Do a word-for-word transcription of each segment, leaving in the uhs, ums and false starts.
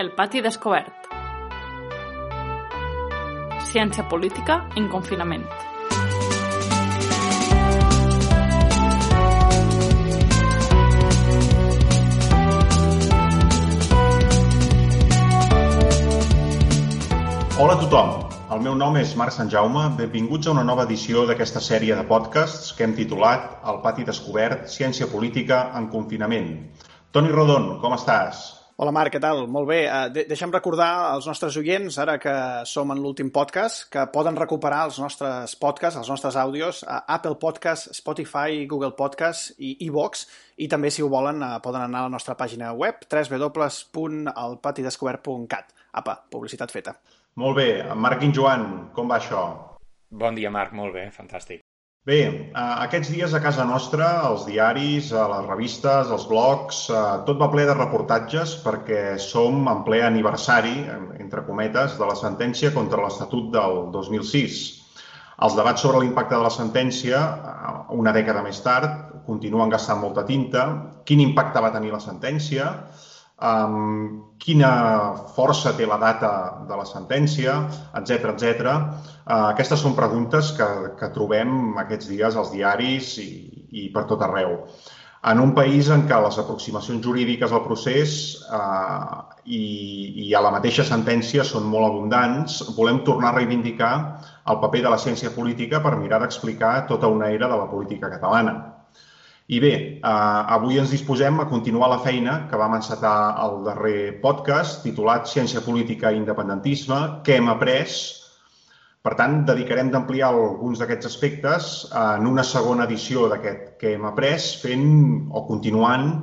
El pati descobert. Ciència política en confinament. Hola a tothom, el meu nom és Marc Sanjaume, benvinguts a una nova edició d'aquesta sèrie de podcasts que hem titulat El pati descobert, ciència política en confinament. Toni Rodon, com estàs? Hola Marc, què tal? Molt bé. De- deixa'm recordar als nostres oients, ara que som en l'últim podcast, que poden recuperar els nostres podcasts, els nostres àudios a Apple Podcasts, Spotify, Google Podcasts i iVoox, i també, si ho volen, poden anar a la nostra pàgina web w w w punt el pati descobert punt cat. Apa, publicitat feta. Molt bé, Marc i Joan, com va això? Bon dia, Marc, molt bé, fantàstic. Bé, aquests dies a casa nostra, als diaris, a les revistes, als blogs, tot va ple de reportatges perquè som en ple aniversari, entre cometes, de la sentència contra l'Estatut del dos mil sis. Els debats sobre l'impacte de la sentència, una dècada més tard, continuen gastant molta tinta. Quin impacte va tenir la sentència? Um, quina força té la data de la sentència, etcètera, etcètera. Uh, aquestes són preguntes que, que trobem aquests dies als diaris i, i per tot arreu. En un país en què les aproximacions jurídiques al procés uh, i, i a la mateixa sentència són molt abundants, volem tornar a reivindicar el paper de la ciència política per mirar d'explicar tota una era de la política catalana. I bé, eh, avui ens disposem a continuar la feina que vam encetar al darrer podcast, titulat Ciència política i independentisme, què hem après. Per tant, dedicarem d'ampliar alguns d'aquests aspectes en una segona edició d'aquest què hem après, fent o continuant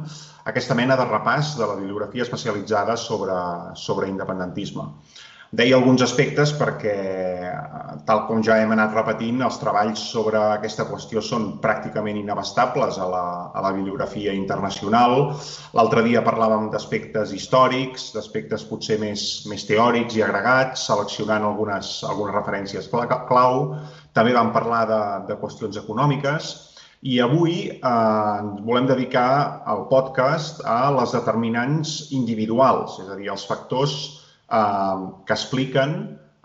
aquesta mena de repàs de la bibliografia especialitzada sobre, sobre independentisme. Deia alguns aspectes perquè, tal com ja hem anat repetint, els treballs sobre aquesta qüestió són pràcticament inabastables a la, a la bibliografia internacional. L'altre dia parlàvem d'aspectes històrics, d'aspectes potser més, més teòrics i agregats, seleccionant algunes, algunes referències clau. També vam parlar de, de qüestions econòmiques. I avui eh, volem dedicar el podcast a les determinants individuals, és a dir, els factors que expliquen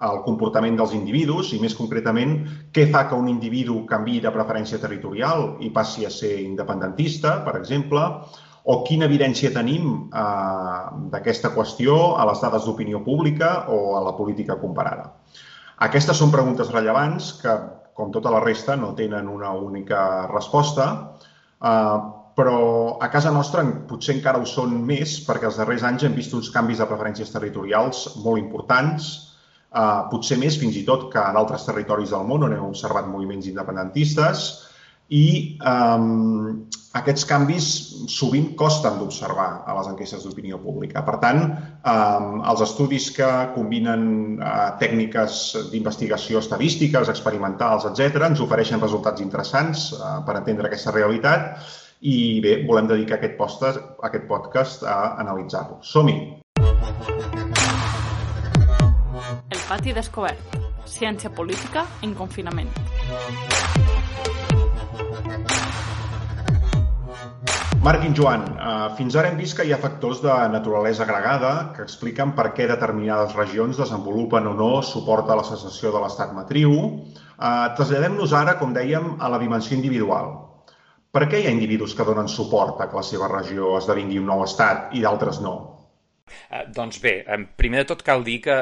el comportament dels individus i, més concretament, què fa que un individu canviï de preferència territorial i passi a ser independentista, per exemple, o quina evidència tenim eh, d'aquesta qüestió a les dades d'opinió pública o a la política comparada. Aquestes són preguntes rellevants que, com tota la resta, no tenen una única resposta, eh, però a casa nostra potser encara ho són més perquè els darrers anys hem vist uns canvis de preferències territorials molt importants, eh, potser més fins i tot que en altres territoris del món on hem observat moviments independentistes i eh, aquests canvis sovint costen d'observar a les enquestes d'opinió pública. Per tant, eh, els estudis que combinen eh, tècniques d'investigació estadístiques, experimentals, etcètera, ens ofereixen resultats interessants eh, per entendre aquesta realitat. I bé, volem dedicar aquest podcast, aquest podcast a analitzar-lo. Som-hi! El pati descobert. Ciència política en confinament. Marc i Joan, fins ara hem vist que hi ha factors de naturalesa agregada que expliquen per què determinades regions desenvolupen o no suport a la secessió de l'estat matriu. Traslladem-nos ara, com dèiem, a la dimensió individual. Per què hi ha individus que donen suport a que la seva regió esdevingui un nou estat i d'altres no? Eh, doncs bé, primer de tot cal dir que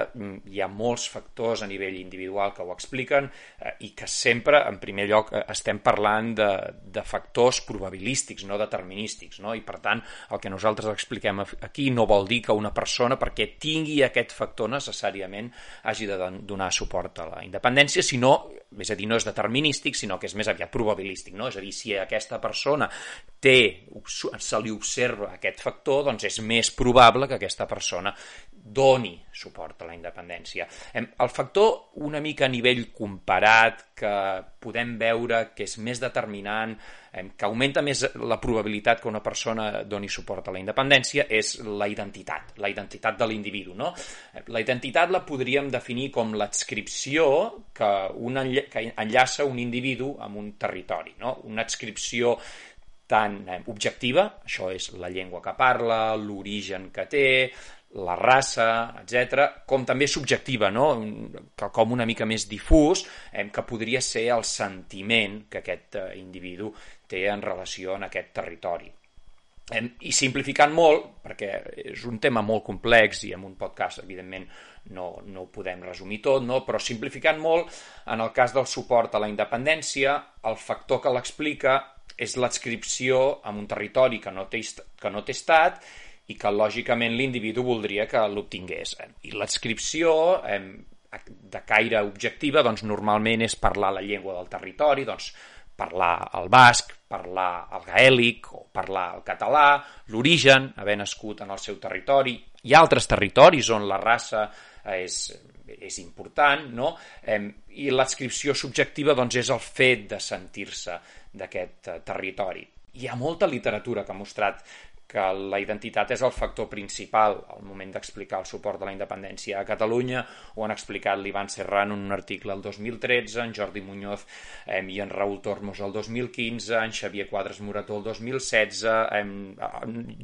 hi ha molts factors a nivell individual que ho expliquen eh, i que sempre, en primer lloc, estem parlant de, de factors probabilístics, no determinístics, no? I per tant, el que nosaltres expliquem aquí no vol dir que una persona, perquè tingui aquest factor necessàriament, hagi de donar suport a la independència, sinó, és a dir, no és determinístic, sinó que és més aviat probabilístic, no? És a dir, si aquesta persona té, se li observa aquest factor, doncs és més probable que aquesta persona doni suport a la independència. El factor una mica a nivell comparat que podem veure que és més determinant, que augmenta més la probabilitat que una persona doni suport a la independència és la identitat, la identitat de l'individu, no? La identitat la podríem definir com l'adscripció que, una, que enllaça un individu amb un territori, no? Una adscripció tan objectiva, això és la llengua que parla, l'origen que té, la raça, etcètera, com també subjectiva, no? Com una mica més difús, eh, que podria ser el sentiment que aquest eh, individu té en relació a aquest territori. Eh, I simplificant molt, perquè és un tema molt complex i en un podcast, evidentment, no, no ho podem resumir tot, no? Però simplificant molt, en el cas del suport a la independència, el factor que l'explica és l'adscripció a un territori que no té, que no té estat i que, lògicament, l'individu voldria que l'obtingués. I l'adscripció, eh, de caire objectiva, doncs, normalment és parlar la llengua del territori, doncs, parlar el basc, parlar el gaèlic o parlar el català, l'origen, haver nascut en el seu territori. Hi ha altres territoris on la raça és, és important, no? Eh, I l'adscripció subjectiva, doncs, és el fet de sentir-se d'aquest territori. Hi ha molta literatura que ha mostrat que la identitat és el factor principal al moment d'explicar el suport de la independència a Catalunya. Ho han explicat l'Ivan Serrano en un article el dos mil tretze, en Jordi Muñoz eh, i en Raúl Tormos el dos mil quinze, en Xavier Quadras Morató el dos mil setze, eh,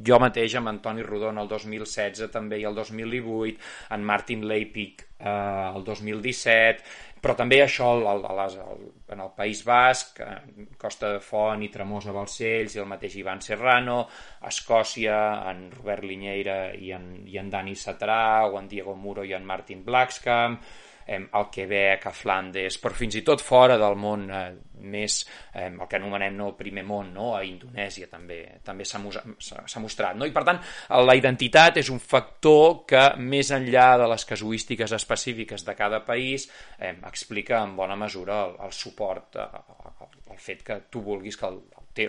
jo mateix amb Antoni Rodon el dos mil setze també i el dos mil divuit, en Martin Leipzig eh, el dos mil disset, però també això el, el, el, en el País Basc, Costa de Font i Tremosa Balcells i el mateix Ivan Serrano, a Escòcia, en Robert Liñeira i en, i en Dani Satrà, o en Diego Muro i en Martin Blackskamp, eh, al Quebec, a Flandes, però fins i tot fora del món eh, més, eh, el que anomenem no, el primer món, no? A Indonèsia també també s'ha mostrat. No? I per tant, la identitat és un factor que, més enllà de les casuístiques específiques de cada país, eh, explica en bona mesura el, el suport, eh, el fet que tu vulguis que el,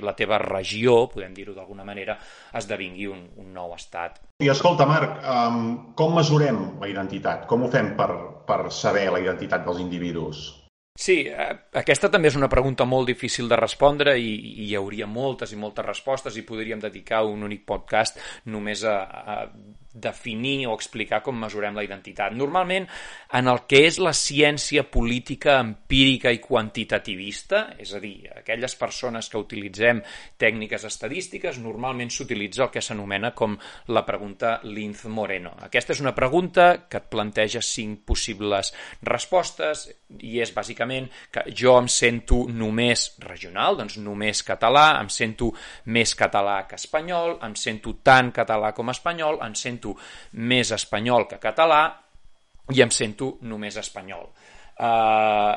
la teva regió, podem dir-ho d'alguna manera, esdevingui un, un nou estat. I escolta, Marc, um, com mesurem la identitat? Com ho fem per, per saber la identitat dels individus? Sí, aquesta també és una pregunta molt difícil de respondre i, i hi hauria moltes i moltes respostes i podríem dedicar un únic podcast només a, a definir o explicar com mesurem la identitat. Normalment, en el que és la ciència política empírica i quantitativista, és a dir, aquelles persones que utilitzem tècniques estadístiques, normalment s'utilitza el que s'anomena com la pregunta Linz-Moreno. Aquesta és una pregunta que et planteja cinc possibles respostes i és bàsicament que jo em sento només regional, doncs només català, em sento més català que espanyol, em sento tant català com espanyol, em sento més espanyol que català i em sento només espanyol. Uh,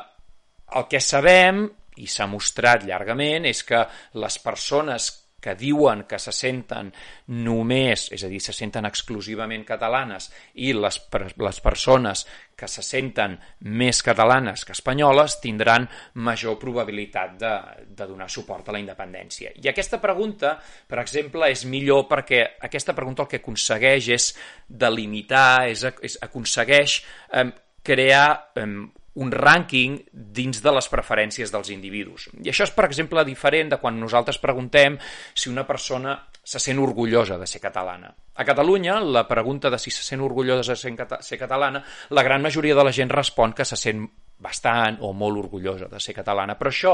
el que sabem, i s'ha mostrat llargament, és que les persones que diuen que se senten només, és a dir, se senten exclusivament catalanes, i les, les persones que se senten més catalanes que espanyoles tindran major probabilitat de, de donar suport a la independència. I aquesta pregunta, per exemple, és millor perquè aquesta pregunta el que aconsegueix és delimitar, és, és aconsegueix eh, crear eh, un rànquing dins de les preferències dels individus. I això és, per exemple, diferent de quan nosaltres preguntem si una persona se sent orgullosa de ser catalana. A Catalunya, la pregunta de si se sent orgullosa de ser, ser catalana, la gran majoria de la gent respon que se sent bastant o molt orgullosa de ser catalana, però això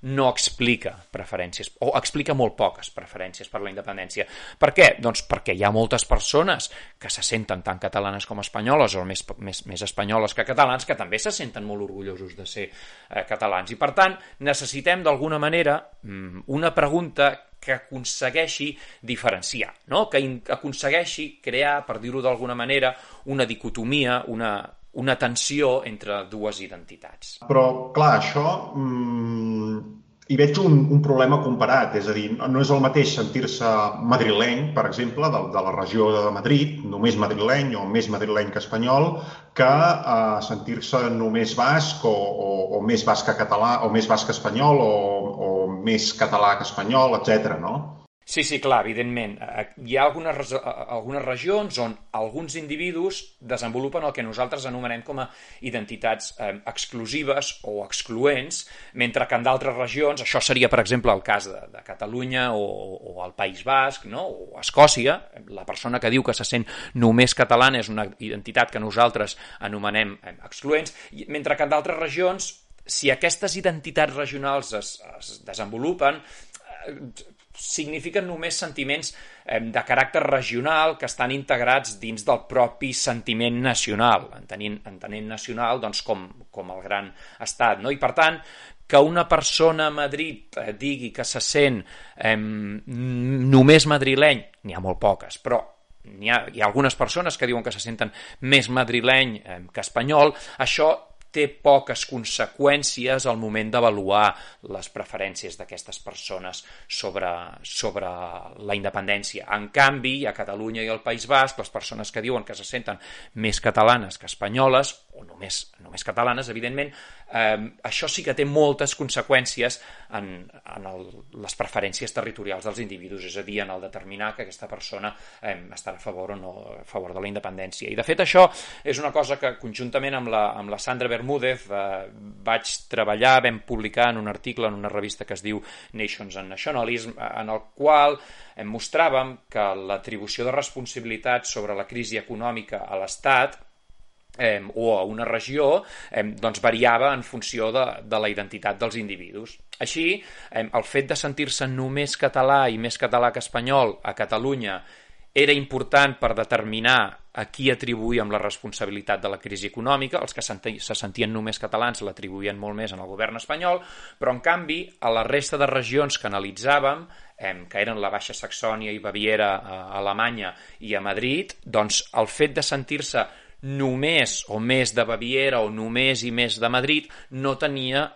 no explica preferències, o explica molt poques preferències per la independència. Per què? Doncs perquè hi ha moltes persones que se senten tant catalanes com espanyoles, o més, més, més espanyoles que catalans, que també se senten molt orgullosos de ser eh, catalans. I per tant, necessitem d'alguna manera una pregunta que aconsegueixi diferenciar, no? Que aconsegueixi crear, per dir-ho d'alguna manera, una dicotomia, una, una tensió entre dues identitats. Però, clar, això mmm, hi veig un, un problema comparat, és a dir, no és el mateix sentir-se madrileny, per exemple, de, de la regió de Madrid, només madrileny o més madrileny que espanyol, que eh, sentir-se només basc o, o, o més basc que català, o més basc que espanyol o, o més català que espanyol, etcètera, no? Sí, sí, clar, evidentment. Hi ha algunes, algunes regions on alguns individus desenvolupen el que nosaltres anomenem com a identitats eh, exclusives o excloents, mentre que en d'altres regions, això seria, per exemple, el cas de, de Catalunya o, o el País Basc, no? O Escòcia, la persona que diu que se sent només catalana és una identitat que nosaltres anomenem eh, excloents, mentre que en d'altres regions, si aquestes identitats regionals es, es desenvolupen, eh, signifiquen només sentiments eh, de caràcter regional que estan integrats dins del propi sentiment nacional, entenent, entenent nacional doncs, com, com el gran estat, no? I per tant, que una persona a Madrid eh, digui que se sent eh, només madrileny, n'hi ha molt poques, però hi ha, hi ha algunes persones que diuen que se senten més madrileny eh, que espanyol, això té poques conseqüències al moment d'avaluar les preferències d'aquestes persones sobre, sobre la independència. En canvi, a Catalunya i al País Basc, les persones que diuen que se senten més catalanes que espanyoles, o només, només catalanes, evidentment, eh, això sí que té moltes conseqüències en, en el, les preferències territorials dels individus, és a dir, en el determinar que aquesta persona eh, estarà a favor o no a favor de la independència. I, de fet, això és una cosa que, conjuntament amb la, amb la Sandra Bermúdez, eh, vaig treballar, vam publicar en un article en una revista que es diu Nations and Nationalism, en el qual eh, mostràvem que l'atribució de responsabilitat sobre la crisi econòmica a l'Estat eh, o a una regió eh, doncs variava en funció de, de la identitat dels individus. Així, eh, el fet de sentir-se només català i més català que espanyol a Catalunya era important per determinar a qui atribuïem la responsabilitat de la crisi econòmica. Els que se sentien només catalans l'atribuïen molt més en el govern espanyol, però en canvi a la resta de regions que analitzàvem, eh, que eren la Baixa Saxònia i Baviera a Alemanya i a Madrid, doncs el fet de sentir-se només o més de Baviera o només i més de Madrid no tenia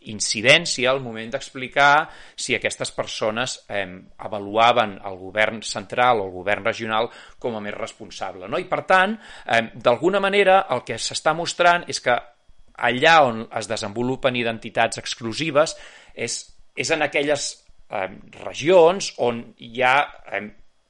incidència al moment d'explicar si aquestes persones eh, avaluaven el govern central o el govern regional com a més responsable, no? I per tant, eh, d'alguna manera el que s'està mostrant és que allà on es desenvolupen identitats exclusives és, és en aquelles eh, regions on hi ha eh,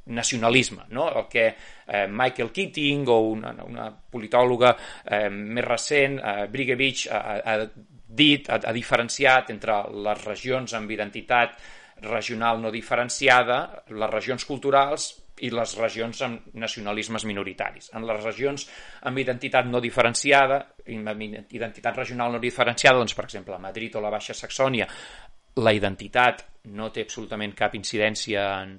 nacionalisme, no? El que eh, Michael Keating o una, una politòloga eh, més recent, eh, Brigevich, ha, ha dit, ha, ha diferenciat entre les regions amb identitat regional no diferenciada, les regions culturals i les regions amb nacionalismes minoritaris. En les regions amb identitat no diferenciada, amb identitat regional no diferenciada, doncs, per exemple, a Madrid o la Baixa Saxònia, la identitat no té absolutament cap incidència en,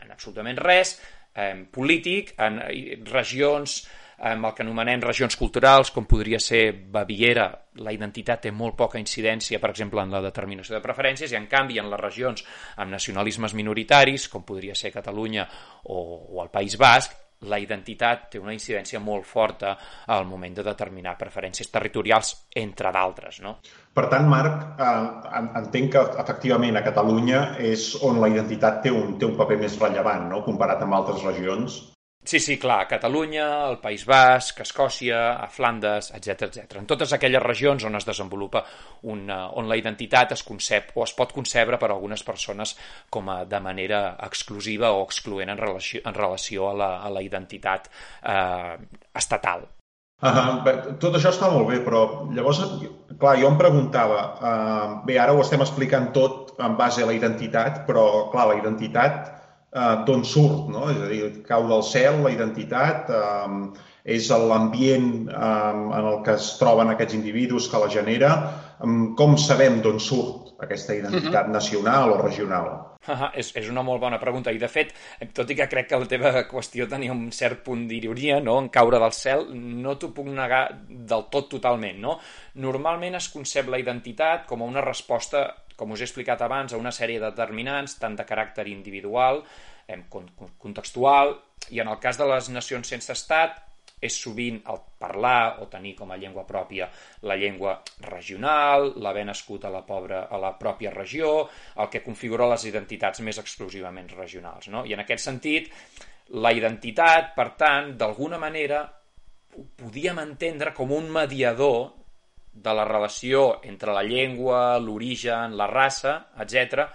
en absolutament res, eh, polític, en regions amb el que anomenem regions culturals, com podria ser Baviera, la identitat té molt poca incidència, per exemple, en la determinació de preferències, i en canvi en les regions amb nacionalismes minoritaris, com podria ser Catalunya o, o el País Basc, la identitat té una incidència molt forta al moment de determinar preferències territorials, entre d'altres, no? Per tant, Marc, eh, entenc que efectivament a Catalunya és on la identitat té un, té un paper més rellevant, no?, comparat amb altres regions. Sí, sí, clar, a Catalunya, al País Basc, a Escòcia, a Flandes, etcètera, etcètera. En totes aquelles regions on es desenvolupa una, on la identitat es concep o es pot concebre per a algunes persones com a de manera exclusiva o excloent en relació, en relació a, la, a la identitat eh, estatal. Uh, bé, tot això està molt bé, però llavors, clar, jo em preguntava, uh, bé, ara ho estem explicant tot en base a la identitat, però, clar, la identitat Uh, d'on surt, no? És a dir, cau del cel, la identitat, um, és l'ambient um, en el que es troben aquests individus que la genera. Um, com sabem d'on surt aquesta identitat uh-huh. nacional o regional? Uh-huh. És, és una molt bona pregunta i, de fet, tot i que crec que la teva qüestió tenia un cert punt d'ironia, no?, en caure del cel, no t'ho puc negar del tot totalment, no? Normalment es concep la identitat com a una resposta, com us he explicat abans, a una sèrie de determinants, tant de caràcter individual, eh, contextual, i en el cas de les nacions sense estat, és sovint el parlar o tenir com a llengua pròpia la llengua regional, l'haver nascut a la, pobra, a la pròpia regió, el que configura les identitats més exclusivament regionals, no? I en aquest sentit, la identitat, per tant, d'alguna manera, ho podíem entendre com un mediador de la relació entre la llengua, l'origen, la raça, etcètera,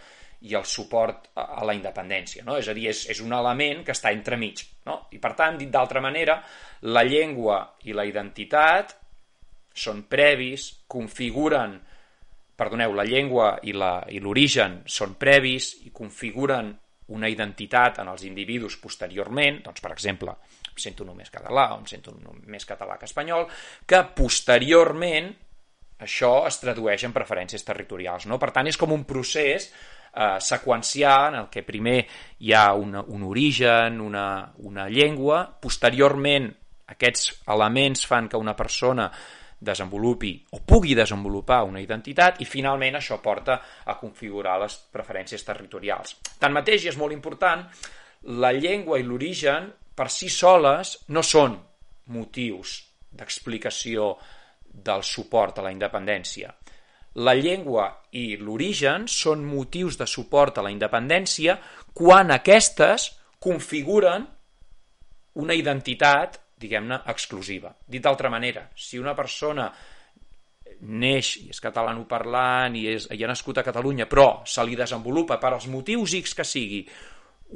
i el suport a la independència, no? És a dir, és, és un element que està entremig, no? I per tant, dit d'altra manera, la llengua i la identitat són previs, configuren, perdoneu, la llengua i l'origen són previs i configuren una identitat en els individus posteriorment, doncs, per exemple, em sento només català o em sento més català que espanyol, que posteriorment això es tradueix en preferències territorials, no? Per tant, és com un procés eh, seqüenciar, en el que primer hi ha una, un origen, una, una llengua, posteriorment aquests elements fan que una persona desenvolupi o pugui desenvolupar una identitat i finalment això porta a configurar les preferències territorials. Tanmateix, i és molt important, la llengua i l'origen per si soles no són motius d'explicació del suport a la independència. La llengua i l'origen són motius de suport a la independència quan aquestes configuren una identitat, diguem-ne, exclusiva. Dit d'altra manera, si una persona neix i és catalanoparlant i, és, i ha nascut a Catalunya, però se li desenvolupa per als motius X que sigui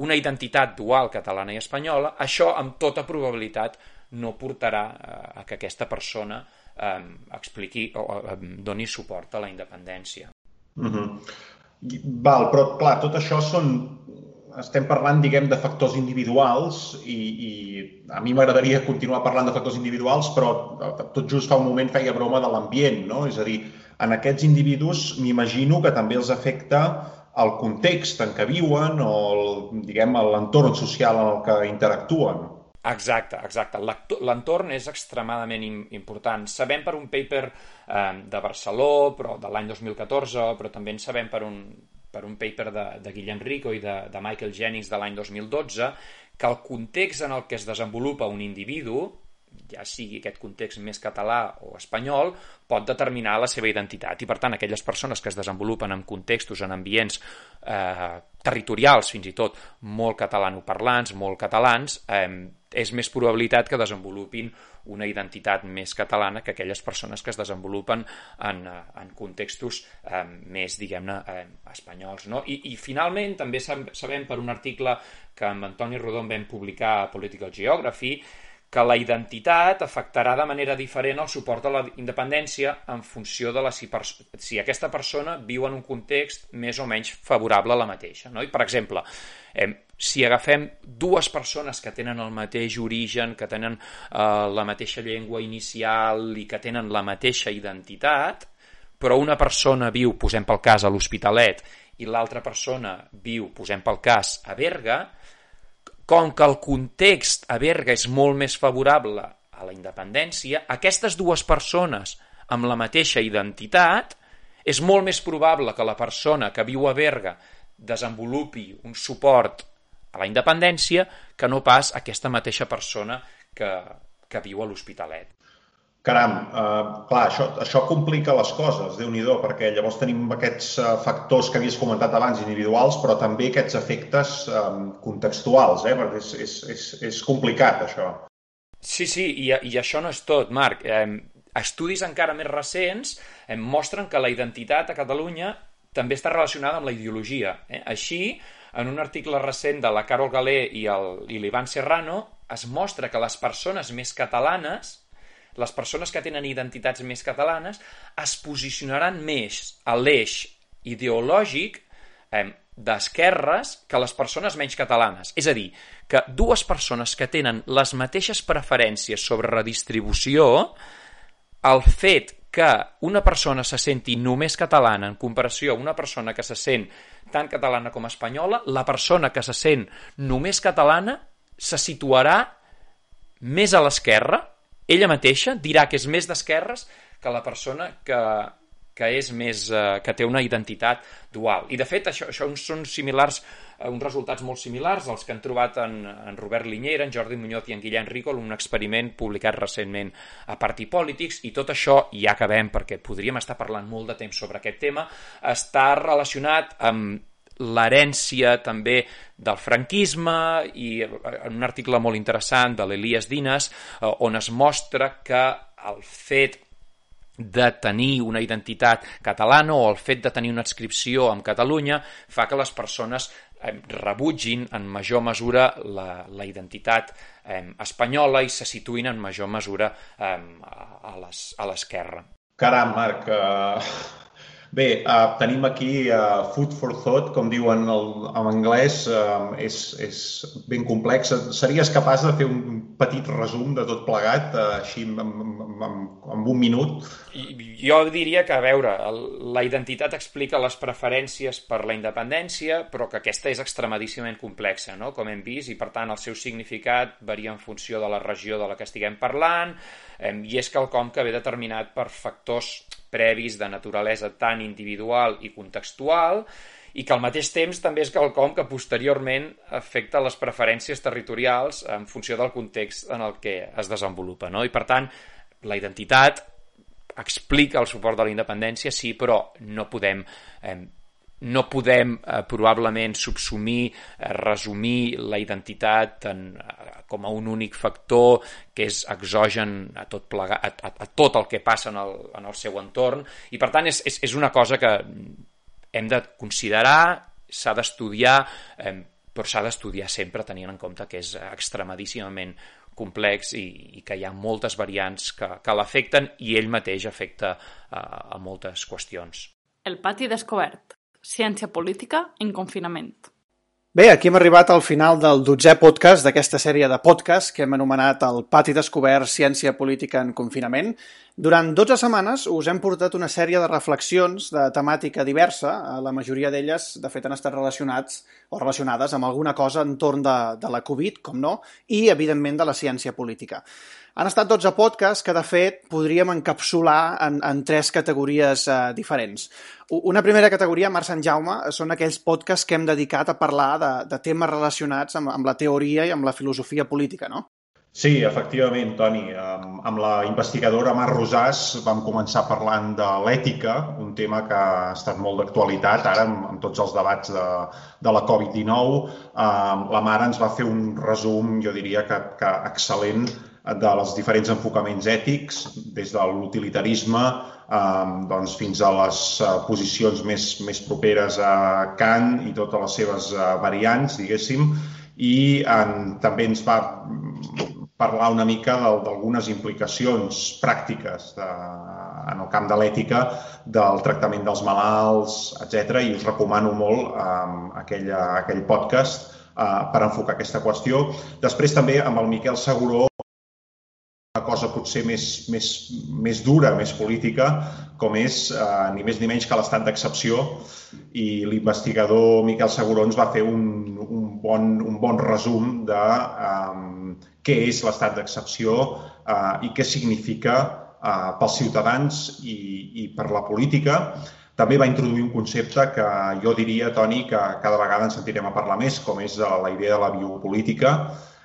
una identitat dual catalana i espanyola, això amb tota probabilitat no portarà a que aquesta persona eh, expliqui o eh, doni suport a la independència. Mm-hmm. Val, però clar, tot això són... Estem parlant, diguem, de factors individuals i, i a mi m'agradaria continuar parlant de factors individuals, però tot just fa un moment feia broma de l'ambient, no? És a dir, en aquests individus m'imagino que també els afecta el context en què viuen o, el, diguem, l'entorn social en el que interactuen. Exacte, exacte. L'entorn és extremadament important. Sabem per un paper eh, de Barceló, però de l'any dos mil catorze, però també en sabem per un, per un paper de, de Guillem Rico i de, de Michael Jennings de l'any dos mil dotze, que el context en el que es desenvolupa un individu, ja sigui aquest context més català o espanyol, pot determinar la seva identitat. I, per tant, aquelles persones que es desenvolupen en contextos, en ambients eh, territorials, fins i tot molt catalanoparlants, molt catalans, eh, és més probabilitat que desenvolupin una identitat més catalana que aquelles persones que es desenvolupen en, en contextos eh, més, diguem-ne, eh, espanyols. No? I, I, finalment, també sabem per un article que amb Antoni Rodon vam publicar a Political Geography que la identitat afectarà de manera diferent el suport a la independència en funció de la, si, si aquesta persona viu en un context més o menys favorable a la mateixa. No? I, per exemple, eh, si agafem dues persones que tenen el mateix origen, que tenen eh, la mateixa llengua inicial i que tenen la mateixa identitat, però una persona viu, posem pel cas, a l'Hospitalet i l'altra persona viu, posem pel cas, a Berga, com que el context a Berga és molt més favorable a la independència, aquestes dues persones amb la mateixa identitat, és molt més probable que la persona que viu a Berga desenvolupi un suport a la independència que no pas aquesta mateixa persona que, que viu a l'Hospitalet. Caram, eh, clar, això, això complica les coses, Déu-n'hi-do, perquè llavors tenim aquests eh, factors que havies comentat abans, individuals, però també aquests efectes eh, contextuals, eh, perquè és, és, és, és complicat, això. Sí, sí, i, i això no és tot, Marc. Eh, estudis encara més recents eh, mostren que la identitat a Catalunya també està relacionada amb la ideologia. Eh? Així, en un article recent de la Carol Galé i l'Ivan Serrano, es mostra que les persones més catalanes, les persones que tenen identitats més catalanes, es posicionaran més a l'eix ideològic eh, d'esquerres que les persones menys catalanes. És a dir, que dues persones que tenen les mateixes preferències sobre redistribució, el fet que una persona se senti només catalana en comparació a una persona que se sent tant catalana com espanyola, la persona que se sent només catalana se situarà més a l'esquerra. Ella mateixa dirà que és més d'esquerres que la persona que, que, és més, eh, que té una identitat dual. I, de fet, això, això són similars, eh, uns resultats molt similars als que han trobat en, en Robert Liñera, en Jordi Muñoz i en Guillem Rico, un experiment publicat recentment a Party Politics, i tot això, i ja acabem perquè podríem estar parlant molt de temps sobre aquest tema, està relacionat amb l'herència també del franquisme i en un article molt interessant de l'Elias Dinas on es mostra que el fet de tenir una identitat catalana o el fet de tenir una adscripció amb Catalunya fa que les persones rebutgin en major mesura la, la identitat eh, espanyola i se situïn en major mesura eh, a l'esquerra. Caram, Marc, uh, Bé, uh, tenim aquí uh, food for thought, com diuen el, en anglès, uh, és, és ben complex. Series capaç de fer un petit resum de tot plegat, uh, així en, en, en, en un minut? Jo diria que, a veure, el, la identitat explica les preferències per la independència, però que aquesta és extremadíssimament complexa, no? Com hem vist, i per tant el seu significat varia en funció de la regió de la que estiguem parlant, eh, i és quelcom que ve determinat per factors previs de naturalesa tan individual i contextual, i que al mateix temps també és quelcom que posteriorment afecta les preferències territorials en funció del context en el que es desenvolupa, no? I per tant, la identitat explica el suport de la independència, sí, però no podem eh, no podem eh, probablement subsumir, eh, resumir la identitat en, eh, com a un únic factor que és exogen a tot, plega, a, a, a tot el que passa en el, en el seu entorn, i per tant és, és, és una cosa que hem de considerar, s'ha d'estudiar, eh, però s'ha d'estudiar sempre tenint en compte que és extremadíssimament complex i, i que hi ha moltes variants que, que l'afecten, i ell mateix afecta eh, a moltes qüestions. El pati descobert. Ciència política en confinament. Bé, aquí hem arribat al final del dotzè podcast d'aquesta sèrie de podcast que hem anomenat el Pati Descobert, Ciència Política en Confinament. Durant dotze setmanes us hem portat una sèrie de reflexions de temàtica diversa, la majoria d'elles, de fet, han estat relacionats o relacionades amb alguna cosa entorn de, de la Covid, com no, i, evidentment, de la ciència política. Han estat dotze podcasts que, de fet, podríem encapsular en, en tres categories eh, diferents. Una primera categoria, Mar Sant Jaume, són aquells podcasts que hem dedicat a parlar de, de temes relacionats amb, amb la teoria i amb la filosofia política, no? Sí, efectivament, Toni. Amb, amb la investigadora Mar Rosàs vam començar parlant de l'ètica, un tema que ha estat molt d'actualitat ara amb, amb tots els debats de, de la Covid dinou. Um, la Mar ens va fer un resum, jo diria que, que excel·lent, de els diferents enfocaments ètics, des de l'utilitarisme eh, doncs fins a les eh, posicions més, més properes a Kant i totes les seves eh, variants, diguéssim, i en, també ens va parlar una mica d'algunes implicacions pràctiques de, en el camp de l'ètica, del tractament dels malalts, etcètera. I us recomano molt eh, aquell, aquell podcast eh, per enfocar aquesta qüestió. Després també amb el Miquel Seguró, una cosa potser més, més, més dura, més política, com és eh, ni més ni menys que l'estat d'excepció, i l'investigador Miquel Seguró ens va fer un, un, bon, un bon resum de eh, què és l'estat d'excepció eh, i què significa eh, pels ciutadans i, i per la política. També va introduir un concepte que jo diria, Toni, que cada vegada ens sentirem a parlar més, com és la idea de la biopolítica.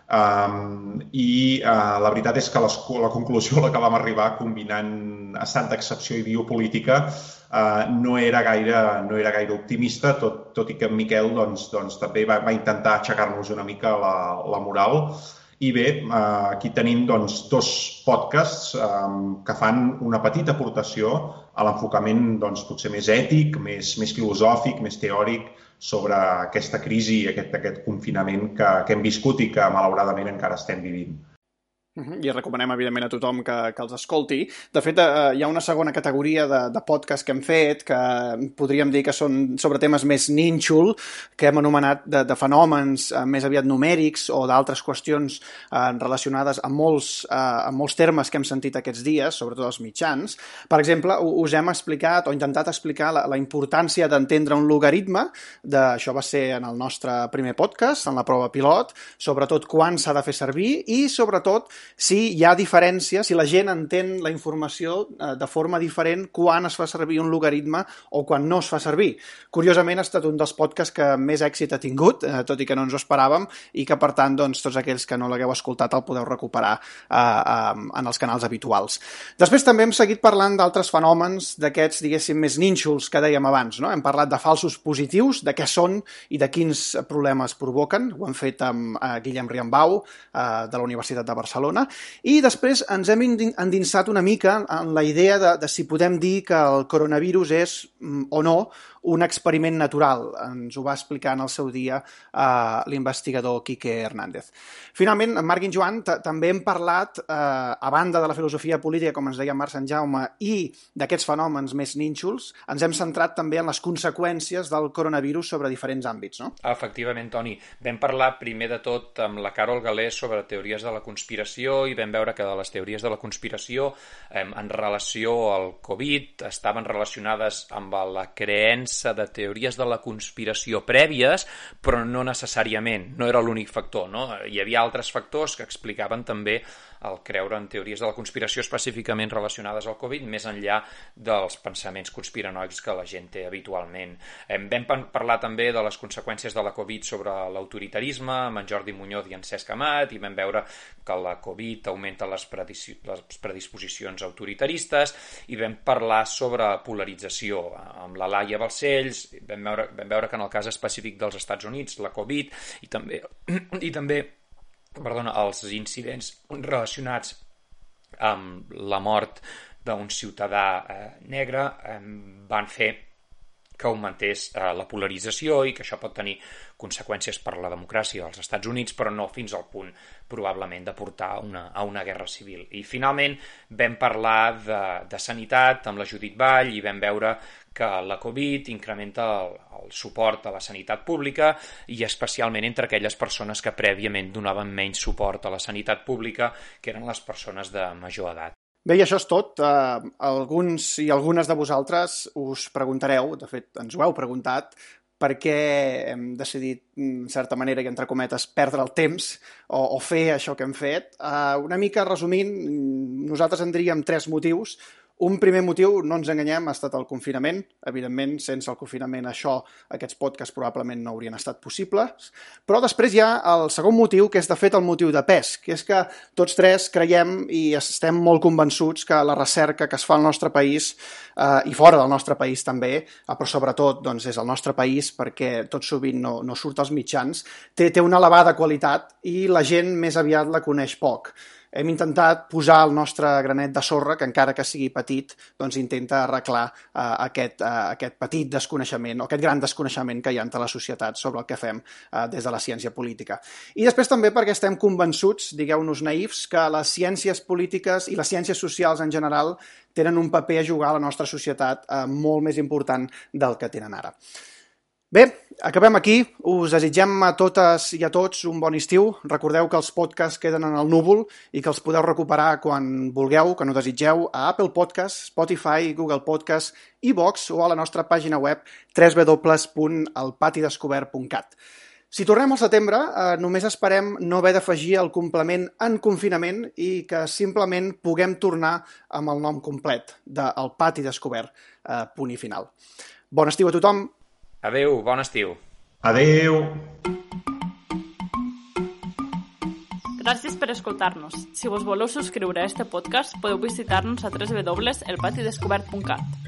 Um, i uh, la veritat és que les, la conclusió a la que vam arribar combinant estat d'excepció i biopolítica uh, no, era gaire, no era gaire optimista, tot, tot i que en Miquel doncs, doncs, també va, va intentar aixecar-nos una mica la, la moral. I bé, uh, aquí tenim doncs, dos podcasts um, que fan una petita aportació a l'enfocament doncs, potser més ètic, més, més filosòfic, més teòric, sobre aquesta crisi i aquest, aquest confinament que, que hem viscut i que malauradament encara estem vivint. I recomanem, evidentment, a tothom que, que els escolti. De fet, eh, hi ha una segona categoria de, de podcast que hem fet, que podríem dir que són sobre temes més nínxol, que hem anomenat de, de fenòmens eh, més aviat numèrics o d'altres qüestions eh, relacionades amb molts, eh, amb molts termes que hem sentit aquests dies, sobretot els mitjans. Per exemple, us hem explicat o intentat explicar la, la importància d'entendre un logaritme. De, això va ser en el nostre primer podcast, en la prova pilot, sobretot quan s'ha de fer servir i, sobretot, si hi ha diferència, si la gent entén la informació eh, de forma diferent quan es fa servir un logaritme o quan no es fa servir. Curiosament, ha estat un dels podcasts que més èxit ha tingut, eh, tot i que no ens ho esperàvem, i que, per tant, doncs, tots aquells que no l'hagueu escoltat el podeu recuperar eh, eh, en els canals habituals. Després també hem seguit parlant d'altres fenòmens d'aquests, diguéssim, més nínxols que dèiem abans, no? Hem parlat de falsos positius, de què són i de quins problemes provoquen. Ho hem fet amb eh, Guillem Riambau, eh, de la Universitat de Barcelona. I després ens hem endinsat una mica en la idea de, de si podem dir que el coronavirus és o no un experiment natural. Ens ho va explicar en el seu dia uh, l'investigador Quique Hernández. Finalment, en Marc i en Joan també hem parlat, uh, a banda de la filosofia política, com ens deia Marc Sant Jaume, i d'aquests fenòmens més nínxols, ens hem centrat també en les conseqüències del coronavirus sobre diferents àmbits, no? Efectivament, Toni. Vam parlar primer de tot amb la Carol Galés sobre teories de la conspiració i vam veure que de les teories de la conspiració eh, en relació al Covid estaven relacionades amb la creença de teories de la conspiració prèvies, però no necessàriament, no era l'únic factor, no? Hi havia altres factors que explicaven també el creure en teories de la conspiració específicament relacionades al Covid, més enllà dels pensaments conspiranoics que la gent té habitualment. Vam parlar també de les conseqüències de la Covid sobre l'autoritarisme amb en Jordi Muñoz i en Cesc Amat, i vam veure que la Covid augmenta les, predis les predisposicions autoritaristes, i vam parlar sobre polarització amb la Laia Balcells, vam veure, vam veure que en el cas específic dels Estats Units, la Covid, i també, i també perdona, els incidents relacionats amb la mort d'un ciutadà eh, negre eh, van fer que augmentés eh, la polarització i que això pot tenir conseqüències per la democràcia als Estats Units, però no fins al punt probablement de portar una, a una guerra civil. I finalment vam parlar de, de sanitat amb la Judit Vall i vam veure que la Covid incrementa el, el suport a la sanitat pública i especialment entre aquelles persones que prèviament donaven menys suport a la sanitat pública, que eren les persones de major edat. Bé, i això és tot. Uh, alguns i algunes de vosaltres us preguntareu, de fet ens ho heu preguntat, per què hem decidit, en certa manera, i entre cometes, perdre el temps o, o fer això que hem fet. Uh, una mica resumint, nosaltres en diríem tres motius. Un primer motiu, no ens enganyem, ha estat el confinament. Evidentment, sense el confinament això, aquests podcasts probablement no haurien estat possibles. Però després hi ha el segon motiu, que és de fet el motiu de pes, que és que tots tres creiem i estem molt convençuts que la recerca que es fa al nostre país, eh, i fora del nostre país també, eh, però sobretot doncs, és el nostre país perquè tot sovint no, no surt als mitjans, té, té una elevada qualitat i la gent més aviat la coneix poc. Hem intentat posar el nostre granet de sorra, que encara que sigui petit, doncs intenta arreglar uh, aquest, uh, aquest petit desconeixement, o aquest gran desconeixement que hi ha entre la societat sobre el que fem uh, des de la ciència política. I després també perquè estem convençuts, digueu-nos naïfs, que les ciències polítiques i les ciències socials en general tenen un paper a jugar a la nostra societat uh, molt més important del que tenen ara. Bé, acabem aquí. Us desitgem a totes i a tots un bon estiu. Recordeu que els podcasts queden en el núvol i que els podeu recuperar quan vulgueu, quan ho desitgeu, a Apple Podcasts, Spotify, Google Podcasts, iVoox o a la nostra pàgina web w w w punt el pati descobert punt cat. Si tornem al setembre, eh, només esperem no haver d'afegir el complement en confinament i que simplement puguem tornar amb el nom complet de El Pati Descobert, eh, punt i final. Bon estiu a tothom! Adéu, bon estiu. Adéu. Gràcies per escoltar-nos. Si vos voleu subscriure a este podcast, podeu visitar-nos a w w w punt el pati descobert punt cat.